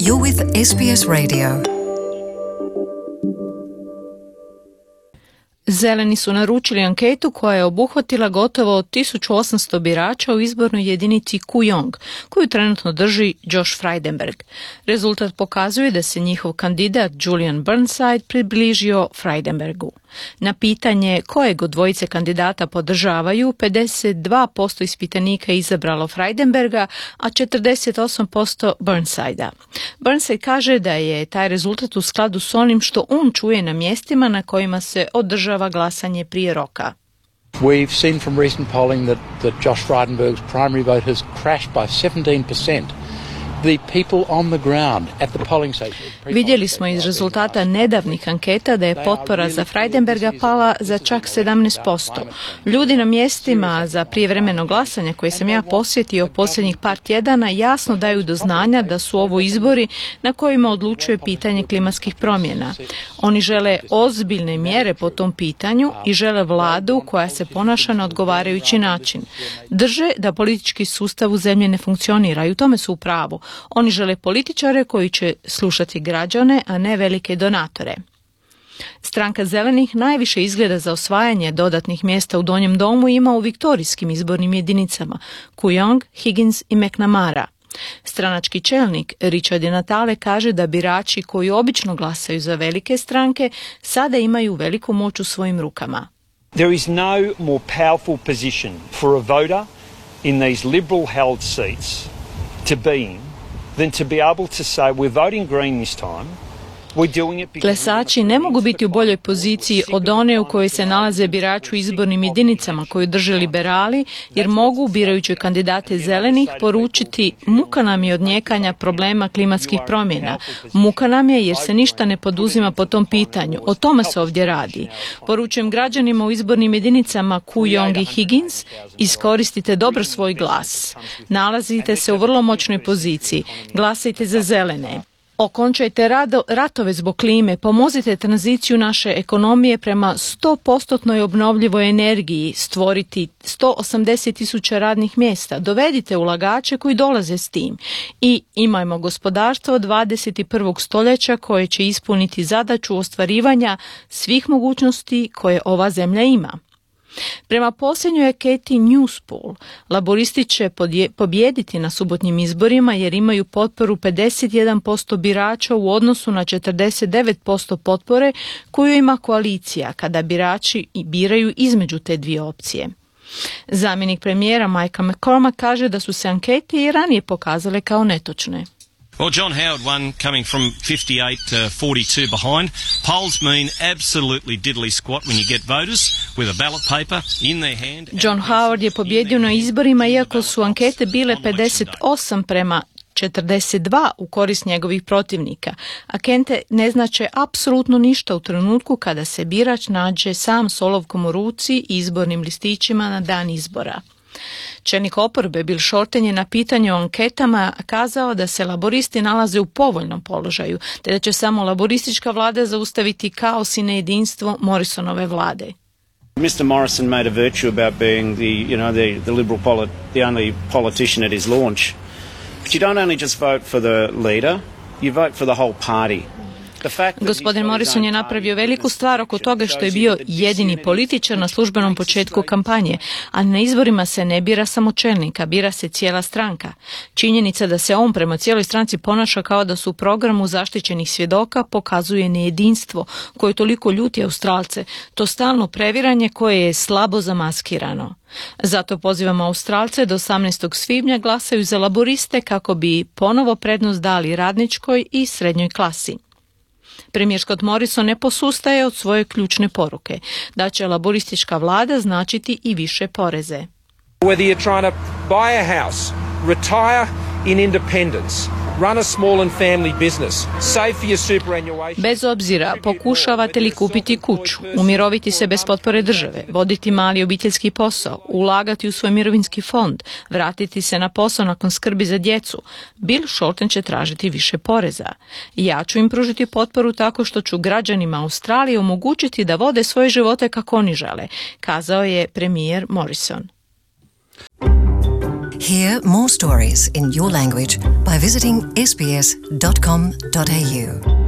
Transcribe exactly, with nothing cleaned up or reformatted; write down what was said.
You're with S B S Radio. Zeleni su naručili anketu koja je obuhvatila gotovo tisuću osamsto birača u izbornoj jedinici Kooyong, koju trenutno drži Josh Frydenberg. Rezultat pokazuje da se njihov kandidat Julian Burnside približio Frydenbergu. Na pitanje kojeg od dvojice kandidata podržavaju, pedeset dva posto ispitanika je izabralo Frydenberga, a četrdeset osam posto Burnsidea. Burnside kaže da je taj rezultat u skladu s onim što on čuje na mjestima na kojima se održava glasanje prije roka. We've seen from recent polling that, that Josh Frydenberg's primary vote has crashed by seventeen percent. The people on the ground at the polling station. Vidjeli smo iz rezultata nedavnih anketa da je potpora za Frydenberga pala za čak sedamnaest posto. Ljudi na mjestima za prijevremeno glasanje koje sam ja posjetio posljednjih par tjedana jasno daju do znanja da su ovo izbori na kojima odlučuje pitanje klimatskih promjena. Oni žele ozbiljne mjere po tom pitanju i žele vladu koja se ponaša na odgovarajući način. Drže da politički sustav u zemlji ne funkcionira i u tome su u pravu. Oni žele političare koji će slušati građane, a ne velike donatore. Stranka Zelenih najviše izgleda za osvajanje dodatnih mjesta u Donjem domu ima u viktorijskim izbornim jedinicama Kooyong, Higgins i McNamara. Stranački čelnik Richard Natale kaže da birači koji obično glasaju za velike stranke sada imaju veliku moć u svojim rukama. There is no more powerful position for a voter in these liberal held seats to be in than to be able to say we're voting green this time. Glasači ne mogu biti u boljoj poziciji od one u kojoj se nalaze birači u izbornim jedinicama koju drže liberali, jer mogu, birajući kandidate zelenih, poručiti muka nam je od njekanja problema klimatskih promjena. Muka nam je jer se ništa ne poduzima po tom pitanju. O tome se ovdje radi. Poručujem građanima u izbornim jedinicama Kooyong i Higgins, iskoristite dobro svoj glas. Nalazite se u vrlo moćnoj poziciji. Glasajte za zelene. Okončajte rado, ratove zbog klime, pomozite tranziciju naše ekonomije prema sto posto obnovljivoj energiji, stvoriti sto osamdeset tisuća radnih mjesta, dovedite ulagače koji dolaze s tim i imajmo gospodarstvo dvadeset prvog stoljeća koje će ispuniti zadaću ostvarivanja svih mogućnosti koje ova zemlja ima. Prema posljednjoj anketi Newspoll, laboristi će pobijediti na subotnjim izborima jer imaju potporu pedeset jedan posto birača u odnosu na četrdeset devet posto potpore koju ima koalicija kada birači biraju između te dvije opcije. Zamjenik premijera Michael McCormack kaže da su se ankete i ranije pokazale kao netočne. Well, John Howard won coming from fifty-eight to forty-two behind. Polls mean absolutely diddly squat when you get voters with a ballot paper in their hand. John Howard je pobjedio na izborima iako su ankete bile pedeset osam prema četrdeset dva u korist njegovih protivnika. Ankete ne znače apsolutno ništa u trenutku kada se birač nađe sam s olovkom u ruci i izbornim listićima na dan izbora. Čelnik oporbe Bill Shorten je na pitanje o anketama kazao da se laboristi nalaze u povoljnom položaju, te da će samo laboristička vlada zaustaviti kaos i nejedinstvo Morrisonove vlade. mister Morrison made a virtue about being the, you know, the, the liberal polit- the only politician at his launch. But you don't only just vote for the leader, you vote for the whole party. Gospodin Morrison je napravio veliku stvar oko toga što je bio jedini političar na službenom početku kampanje, a na izborima se ne bira samo čelnika, bira se cijela stranka. Činjenica da se on prema cijeloj stranci ponaša kao da su u programu zaštićenih svjedoka pokazuje nejedinstvo koje toliko ljuti Australce, to stalno previranje koje je slabo zamaskirano. Zato pozivamo Australce da osamnaestog svibnja glasaju za laboriste kako bi ponovo prednost dali radničkoj i srednjoj klasi. Premijer Scott Morrison ne posustaje od svoje ključne poruke, da će laboristička vlada značiti i više poreze. Whether you're trying to buy a house, retire in independence, run a small and family business, save for your superannuation. Bez obzira pokušavate li kupiti kuću, umiroviti se bez potpore države, voditi mali obiteljski posao, ulagati u svoj mirovinski fond, vratiti se na posao nakon skrbi za djecu, Bill Shorten će tražiti više poreza. Ja ću im pružiti potporu tako što ću građanima Australije omogućiti da vode svoje živote kako oni žele, kazao je premijer Morrison. Hear more stories in your language by visiting s b s dot com dot a u.